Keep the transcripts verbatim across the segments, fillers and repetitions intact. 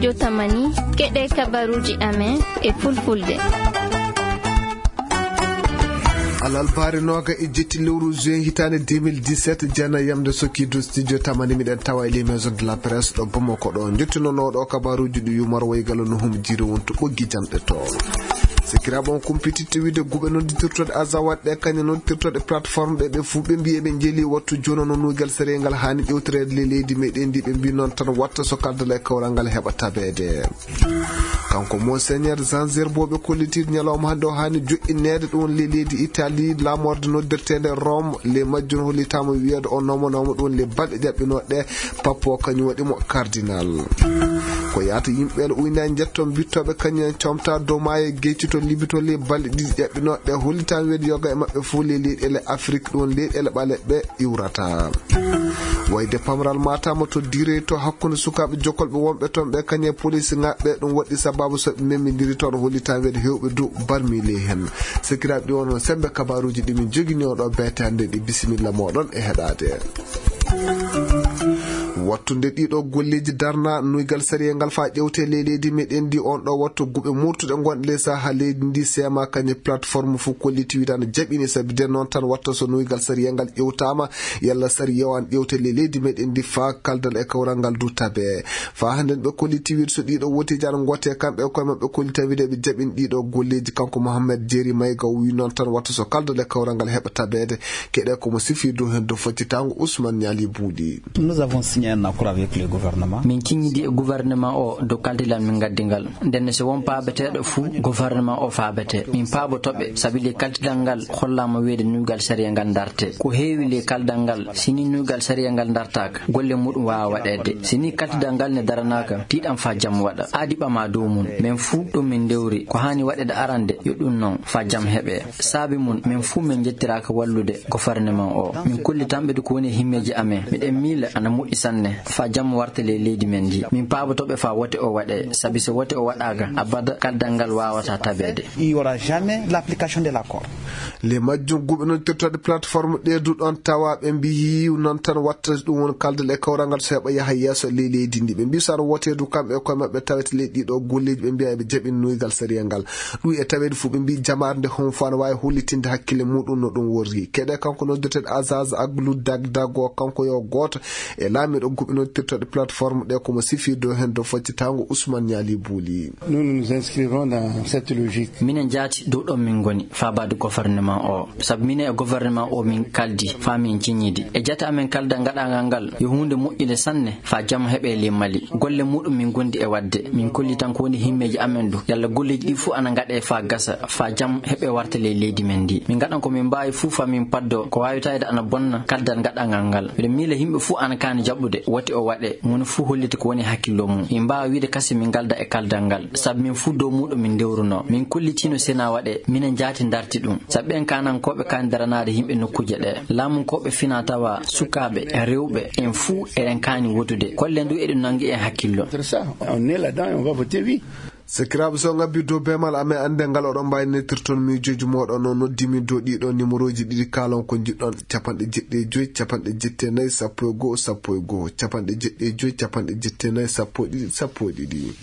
Jotamani, keɗe kabaruuji amen e fulfulde. Alalbaare nooga e jetti lewru juin hitaande deux mille dix-sept, jeena yamde sokkiidu studio tamani, miɗen tawa e les maisons de la presse ɗo Bamako ɗo. Njottinonooɗo kabaruuji ɗi yumar waygalo no hum jiri wonto ɓoggi janɗe to. Sikiraaɓe on kumpititte wiide guɓe nodditirtoɗe azawaɗ ɗe, kañe nodditirtoɗe plateforme ɗe, ɓe fuu ɓe mbiyi eɓe njeeli wattu jono no nuygal sariyal ngal haani ƴewtoreede le leydi meɗen ndi. Ɓe mbi noon tan watta so kaldal e kawral ngal heɓa tabeede. Kanko Monseigneur Jean Zerbo ɓe kolliti ñalawma hannde o haani joɗɗineede ɗum le leydi Italie, laamorde noddirteende Rome, le majjum hollitaama wiyeede o nomanoma ɗum le balɗe jaɓɓinooɗe pappo kañum waɗi mo cardinal. Ko yaata yimɓe le uyna njetto mbittooɓe kañum en comta dow maayo gecci to Libi to le balɗe ɗiɗi jaɓɓinooɗe hollitaama wiyeede yoga e maɓɓe fof le leyɗeele Afrique ɗum leyɗeele ɓaleɓe iwrata. Wayde pamral matama to dire to hakkunde sukaaɓe jokolɓe wonɓe toon ɓe kañe police ŋaɓɓe ɗum waɗi sababu so ɓe memidiri toon hollitaama wiyeede hewɓe du barmile heen. Sekiraaɓe ɗi wonno sembe kabaruuji ɗi min jogini oɗo beetande ɗi bisimilla moɗon e heɗaade. Wattunde ɗiɗo golleeji darna nuygal sariya ngal faa ƴewte ley leydi meɗen ndi on ɗo wattu guɓe murtuɗe ngonɗe ley saha leydi ndi seema kañe plateforme fof kolliti wiide ana jaɓini sabi de noon tan watta so nuygal sariya ngal ƴewtaama yalla sariya o an ƴewte ley leydi meɗen ndi faa kaldal e kawral ngal du tabe. Faa hannden ɓe kolliti wiide so ɗiɗo woteeji ana ngote kamɓe e koye maɓɓe kollita wiide ɓe jaɓini ɗiɗo golleeji. Kanko Mohammed Jeeri Mayga o wi noon tan watta so kaldal e kawral ngal heɓa tabeede. Keɗe ko mo sifi dow heen dow faccitaango Ousmane Ñaali Buuɗi. Nous avons signé un accord avec le gouvernement. Min ciññidi e gouvernement o dow kaldilan min ngaddi ngal. Ndenne so won paabeteeɗo fuu, gouvernement o faabete. Min paabotoɓe, sabi le kaldilan ngal hollaama wiyeede nuygal sariya ngal darte. Ko heewi le kaldal ngal, si ni nuygal sariya ngal dartaaka, golle muɗum waawa waɗeede. Si ni kaldilan ngal ne daranaaka, tiiɗan faa jam waɗa. Aadi ɓama dow mum. Men fuu ɗum min ndewri. Ko haani waɗeede arande, yo ɗum noon, faa jam heɓe. Saabi mum, men fuu men njettiraaka wallude gouvernement o. Min kollitanɓe du ko woni e himmeeji amen. Miɗen miila ana moƴƴi sanne, faa jam warte ley leydi men ndi. Min paabotoɓe faa wote o waɗe, sabi so wote o waɗaaka, abada kaldal ngal waawataa tabeede. Il y aura jamais l'application de l'accord. Le majjum guɓe noon tirtoɗe plateforme ɗe du ɗon tawa ɓe mbiyi noon tan watta ɗum won kaldal e kawral ngal so heɓa yaha yeeso ley leydi ndi. Ɓe mbi so aɗa wote du kamɓe e koye maɓɓe tawete ley ɗiɗo golleeji ɓe mbiya eɓe jaɓini nuygal sariya ngal. Ɗum e taweede fof ɓe mbi jamaare nde hon fof ana waawi hollitinde hakkille muɗum no ɗum worri. Keɗe kanko noddeteɗo Azaz Aglu Dag Dago, kanko yo gooto e laamiiɗo guɓe noddirtoɗe plateforme ɗe, komo sifi dow heen dow faccitaango Ousmane Ñaali Buuli. Nous, nous nous inscrirons dans cette logique. Minen jaati dow ɗon min ngoni, faabaade gouvernement o. Sabu minen e gouvernement o min kaldi, faa min ciññidi. E jate amen kaldal ngaɗaangal ngal, yo huunde moƴƴunde sanne, faa jam heɓe ley Mali. Golle muɗum min ngondi e waɗde. Min kolli tan ko woni himmeeji amen du. Yalla golleeji ɗi fuu ana ngaɗe faa gasa, faa jam heɓe warte ley leydi men ndi. Min ngaɗan ko min mbaawi fuu faa min paddo ko waawi tawede ana bonna kaldal ngaɗaangal ngal. Miɗo miila yimɓe fuu ana kaani jaɓude, woti o waɗe, moni fuu hollita ko woni hakkillo mum. Min mbaawa wiide kasi min ngalda e kaldal ngal, sabu min fuu dow muɗum min ndewruno. Min kollitino sena waɗe, minen jaati ndarti ɗum. Sabu ɓen kaanankooɓe kaani daranaade yimɓe nokkuuje ɗe. Laamunkooɓe fina tawa, sukaaɓe, rewɓe, en fuu eɗen kaani wotude. Kollen du eɗum nangi en hakkillo. Entre ça, on est là-dedans et on va voter oui. Sakiraaɓe, so ngabbi dow beemal amen, annde ngal oɗon mbaawi nettirton miijooji mooɗon, no noddi min dow ɗiɗo numéroji ɗiɗi, kaalon ko njiɗɗon, capanɗe jeɗɗi e joy, capanɗe jetti e nayi, sappo e go'o, sappo e go'o, capanɗe jeɗɗi e joy, capanɗe jetti e nayi, sappo e ɗiɗi, sappo e ɗiɗi.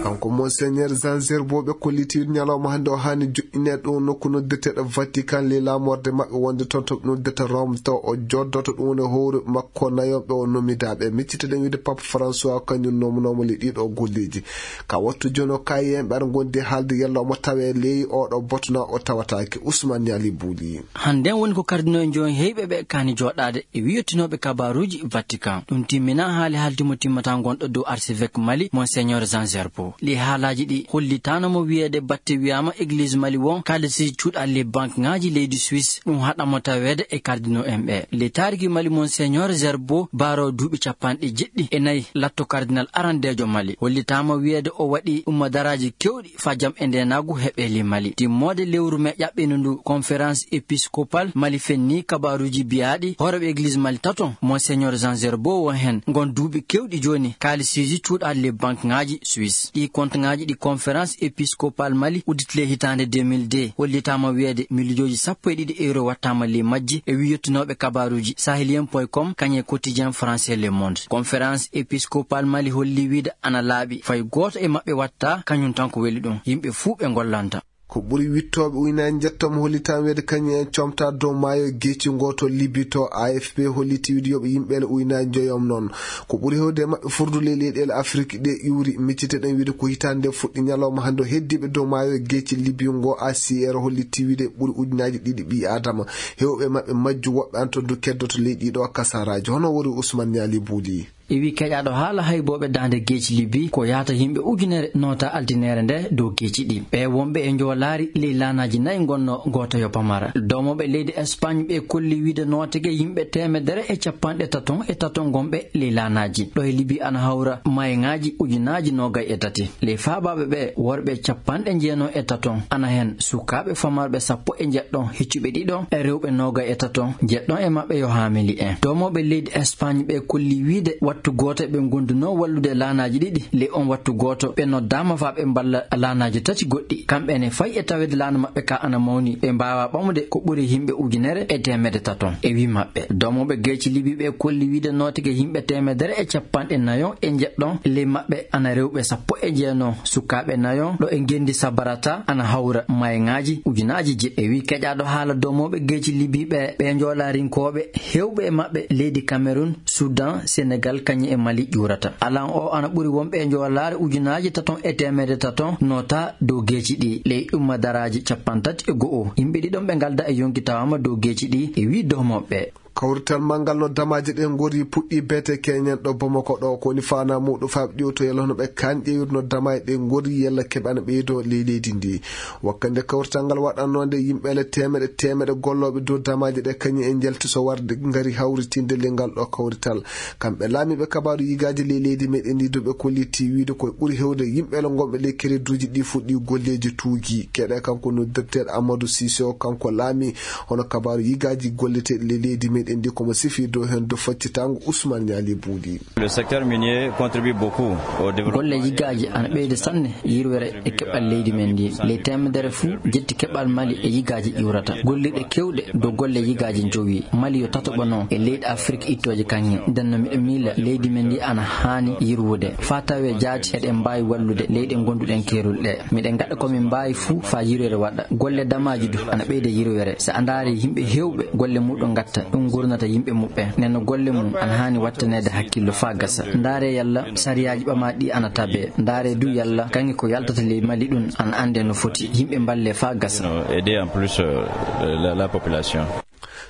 Kanko Monseigneur Jean Zerbo ɓe kolliti ñalawma hannde o haani joɗɗineede ɗum nokku noddeteeɗo Vatican, le laamorde maɓɓe wonde toon to ɓe noddata Rome, taw o joddoto ɗum woni howruɓe makko nayo ɓe o nomidaaɓe. Miccitoɗen wiide Pape François kañum nomanoma le ɗiɗo golleeji. Ka wattu jono kayi en ɓe aɗa ngondi haalde yalla omo tawe ley oɗo botona o tawataake. Ousmane Ñaali Buuli. Hannden woni ko kardinal en jooni heyɓe ɓe kaani jooɗaade e wiyotinooɓe kabaaruuji Vatican. Ɗum timmina haali haaldi mo timmata ngonɗo dow archevêque Mali, Monseigneur Jean Zerbo. Ɗi haalaaji ɗi hollitaano mo wiyeede batte wiyaama Église Mali won kaalisiiji cuuɗaali banque ŋaaji leydi Suisse, ɗum haɗa mo taweede e kardinal en ɓe. Le taariki Mali, Monseigneur Zerbo baaro duuɓi capanɗe jeɗɗi e nayi latto kardinal arandeejo Mali. Hollitaama wiyeede o waɗi ummadaraaji kewɗi faa jam e ndeenaagu heɓe le Mali. Timmoode lewru me ƴaɓɓino ndu, conférence épiscopale Mali fenni kabaaruuji biyaaɗi hooreeɓe Église Mali tato, Monseigneur Jean Zerbo won heen. Ngon duuɓi kewɗi jooni, kaalisiiji cuuɗaali le banque ŋaaji Suisse. Ɗi kontoŋaaji ɗi conférence épiscopale Mali udditi ley hitaande deux mille deux, hollitaama wiyeede miliyooji sappo e ɗiɗi euro wattaama ley majji, e wii yottinooɓe kabaaruuji saheliyen point com kañum e quotidien français Le Monde. Conférence épiscopale Mali holli wiide ana laaɓi fay gooto e maɓɓe watta kañum tan ko weli ɗum, yimɓe fuu ɓe ngollanta. Ko ɓuri wittooɓe ujunaaji njettam hollitaama wiyeede kañum en comta dow maayo geeci ngo to Libi to. A F P holliti wiide yoɓe yimɓe ele ujunaaji njoyom noon. Ko ɓuri heewde e maɓɓe furdu ley leyɗeele Afrik ɗe ƴuuri. Miccite ɗen wiide ko hitaande nde fuɗɗi ñalawma hannde o heddiiɓe dow maayo geeci Libi ngo. A C R holliti wiide ɓuri ujunaaji ɗiɗi ɓii Aadama. Heewɓe maɓɓe majju, woɓɓe an to du keddoto ley ɗiɗo kasaraaji. Hono wori Ousmane Ñaali Buuli. E wi keƴaaɗo haala haybooɓe daande geeci Libi, ko yahata yimɓe ujunere noota altineere nde dow geeci ɗi. Ɓe wonɓe e njoolaari ley laanaaji nayi ngonno gooto yo pamara. Doomooɓe leydi Espagne ɓe kolli wiide nootege yimɓe teemedere e capanɗe taton e taton ngonɓe ley laanaaji. Ɗo e Libi ana hawra mayeŋaaji ujunaaji noogay e tati. Ley faabaaɓe ɓe, worɓe capanɗe jeenon e taton, ana hen sukaaɓe famarɓe sappo e njeɗɗon, heccuɓe ɗiɗon e rewɓe noogay e taton, jeɗɗon e maɓɓe yo haamili en. Doomooɓe leydi Espagne ɓe kolli wiide wattu gooto ɓe ngondunoo wallude laanaaji ɗiɗi. Ley on wattu gooto ɓe noddaama faa ɓe mballa laanaaji tati goɗɗi. Kamɓe ne fay e taweede laana maɓɓe ka ana mawni, ɓe mbaawaa ɓamude ko ɓuri yimɓe ujunere e teemedde taton. E wi maɓɓe, doomooɓe geeci Libi ɓe kolli wiide nootege yimɓe teemedere e capanɗe nayon e njeɗɗon, ley maɓɓe ana rewɓe sappo e jeenon, sukaaɓe nayon, ɗo e ngenndi Sabarata ana hawra mayeŋaaji ujunaaji jeɗɗi. E wi keƴaaɗo haala doomooɓe geeci Libi ɓe, ɓe njoolaarinkooɓe, heewɓe e maɓɓe leydi Cameroun, Sudan, Senegal, kañum e Mali ƴuurata. Alan o ana ɓuri wonɓe e njoolaare ujunaaji taton e teemedde taton noota dow geeci ɗi, ley ɗummadaraaji capantati e go'o. Yimɓe ɗiɗon ɓe ngalda e yonki tawaama dow geeci ɗi, e wi doomooɓe. Kawrital manngal no damaaji ɗe ngori puɗɗi beete keñen ɗo Bamako ɗo, ko woni faanaa muuɗum faaɓe ɗiwto yalla hono ɓe kaan ƴeewirno damaaji ɗe ngori yalla keɓe ana ɓeydoo ley leydi ndi. Wakkande kawrital ngal waɗannoo nde, yimɓe ele teemeɗe teemeɗe gollooɓe dow damaaji ɗe kañum en njalti so warde ngari hawritinde ley ngal ɗo kawrital. Kamɓe laamiiɓe kabaaru yigaaji ley leydi meɗen ndi, duuɓe kolliti wiide koye ɓuri heewde yimɓe ele ngonɓe ley kereduuji ɗi fuɗɗi golleeji tuugi. Keɗe kanko noddirteeɗo Amadou Cissé o, kanko laami hono kabaaru yigaaji golleteeɗi ley leydi meɗen ndi, komo sifi dow heen dow faccitaango Ousmane Niali Bouli. Le secteur minier contribue beaucoup au développement. Golle yigaaji ana ɓeyda sanne yirwere e keɓal leydi men ndi. Ley teemedere fuu jetti keɓal Mali e yigaaji ƴiwrata. Gollirɗe kewɗe dow golle yigaaji njowi. Mali yo tataɓo noon e leyɗe Afrik ittooje kaŋŋe. Nden no miɗo miila leydi men ndi ana haani yirwude. Faa tawee jaati eɗen mbaawi wallude leyɗe ngonduɗen keerol ɗe. Miɗen ngaɗa ko min mbaawi fuu faa yirwere waɗa. Golle damaaji du ana ɓeyda yirwere. So a ndaari yimɓe heewɓe golle muuɗum ngatta, ɗum ngurnata yimɓe muɓɓen. Nden no golle mum ana haani wattaneede hakkillo faa gasa. Ndaare yalla sariyaaji ɓamaaɗi ɗi ana tabee. Ndaare du yalla kaŋŋe ko yaltata ley Mali ɗum ana anndee no foti. Yimɓe mballee faa gasa. Aider en plus, euh, la, la population.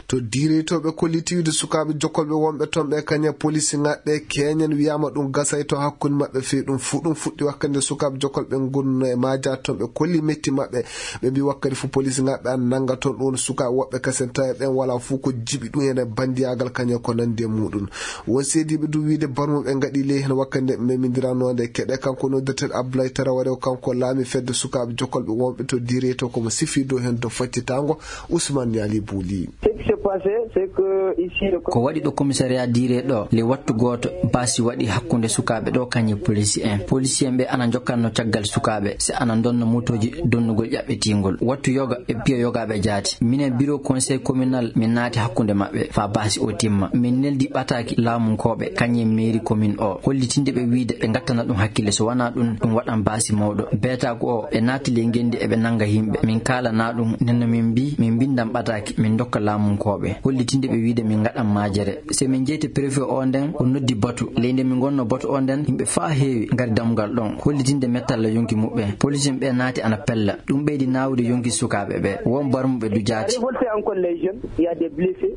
To diireytooɓe kolliti wiide sukaaɓe jokkolɓe wonɓe toon ɓe kaña polisinaaɓe keñen wiyaama ɗum gasay to hakkunde maɓɓe fii ɗum fuu. Ɗum fuɗɗi wakkati nde sukaaɓe jokkolɓe ngonno e maaja toon ɓe kolli metti maɓɓe. Ɓe mbii wakkati fof polisinaaɓe an nannga toon ɗum woni sukaaɓe woɓɓe kasen tawi ɓen wala fof ko jiɓi ɗum ene banndiyaagal kaña ko nanndi e muuɗum. Won seediiɓe du wiide barmuɓe ngaɗi ley heen wakkati nde memindiranoonde keɗe kanko noddirteeɗo Abdoulaye Traoré o kanko laami fedde sukaaɓe jokkolɓe wonɓe to diireyto komo sifi dow heen dow faccitaango Ousmane Niali Bouli. Ce qui s'est passé, c'est que ici, le Ko waɗi ɗo commissariat diire ɗo, le wattu gooto, baasi waɗi hakkunde sukaaɓe ɗo kañe polisi en. Polisi en ɓe ana njokkanno caggal sukaaɓe, si ana ndonna motooji donnugol ƴaɓɓitiingol. Wattu yoga e piya yogaaɓe jaati. Minen bureau conseil communal, min naati hakkunde maɓɓe, faa baasi o timma. Min neldi ɓataaki laamunkooɓe, kañe mairie commune o, hollitinde ɓe wiide ɓe ngattana ɗum hakkille, so wanaa ɗum, ɗum waɗan baasi mawɗo. Beetaaku o, ɓe naati ley ngenndi eɓe nannga yimɓe. Min kaalana ɗum, nden no min mbii, min mbinndan ɓataaki, min ndokka laamunkooɓe. Hollitinde ɓe wiide min ngaɗan maajere. Se min njeyti préfet o nden, o noddi batu. Ley nde min ngonno batu o nden, yimɓe faa heewi ngari dammugal ɗon. Hollitinde mettalla yonki muɓɓen. Polisin ɓe naati ana pella. Ɗum ɓeydi naawude yonki sukaaɓe ɓe. Won barmuɓe du jaati. Révolté encore les jeunes, il y a des blessés.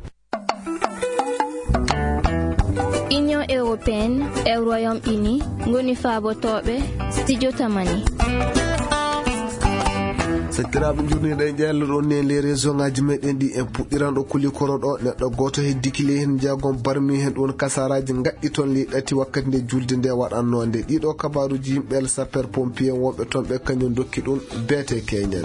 Union européenne e Royaume-Uni ngoni faabotooɓe Studio Tamani. Sakiraaɓe, njurniiɗo e ƴeello ɗon ni e les région ngaji meɗen ɗi. En puɗɗiran ɗo Kulikoro ɗo, neɗɗo gooto heddiki ley heen, jeegom barmi heen, ɗum woni kasaraaji ngaɗɗi toon ley ɗati wakkati nde julde nde waɗannoo nde. Ɗiɗo kabaaruuji, yimɓe el sapeur pompier wonɓe toon ɓe kañum ndokki ɗum beete keñen.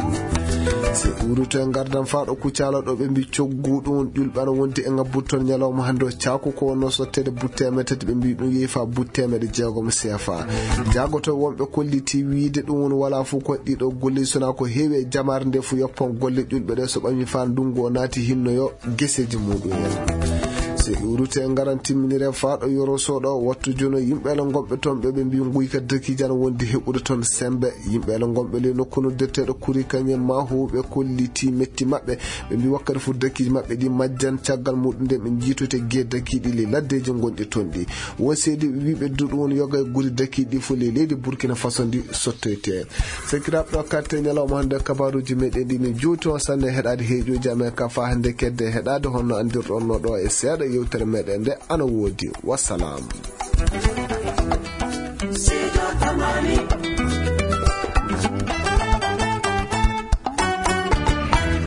Si uruto e ngardan faa ɗo Kucala ɗo, ɓe mbi coggu ɗum ƴulɓe ana wondi e ngabbude toon ñalawma hannde o caaku ko wonnoo sotteede butte teemedde tati, ɓe mbi ɗum yehi faa butte teemedde jeegom C F A. Jaagoto wonɓe kolliti wiide ɗum woni walaa fof ko waɗi ɗo golle, sona ko heewi e jamaare nde fof yoppan golle ƴulɓe ɗe so ɓami faa ndungu o naati hinno yo geseeji muɗum en. Si ɗuurute ngaran timminire faa ɗo Yoro Soɗo, wattu jono yimɓe ala ngonɓe toon ɓe, ɓe mbi nguyka dakiiji ana wondi heɓude toon sembe. Yimɓe ala ngonɓe ley nokku noddeteeɗo Kuri Kañe Mahu ɓe kolliti metti maɓɓe. Ɓe mbi wakkati fof dakiiji maɓɓe ɗi majjan, caggal muɗum nde ɓe njiitoyte gee dakiiɗi ley laddeeji ngonɗi toon ɗi. Won seedi ɓe mbi ɓe duɗu won yoga e guri dakiiɗi fof ley leydi Burkina Faso ndi sottoyte. Sakiraaɓe, ɗo katte ñalawma hannde kabaaruuji meɗen ɗi ne juuti on sanne heɗaade heeƴooji amen ka faa hannde kedde heɗaade honno anndirɗon no ɗo e seeɗa yewtere meɗen nde ana woodi. Wassalam.